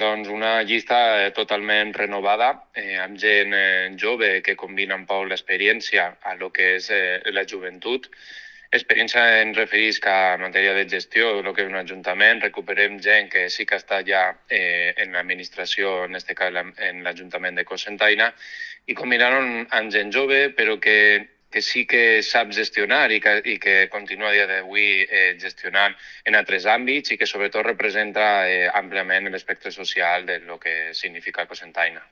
Doncs una llista totalment renovada, amb gent jove que combina un poc l'experiència a lo que és la joventut. Experiència en referís que a matèria de gestió, el que és un ajuntament, recuperem gent que sí que està ja en l'administració, en aquest cas en l'Ajuntament de Cocentaina, i combinar-ho amb gent jove, però que sí que sap gestionar i que continua a dia d'avui gestionant en altres àmbits i que sobretot representa àmpliament l'espectre social de lo que significa Cocentaina.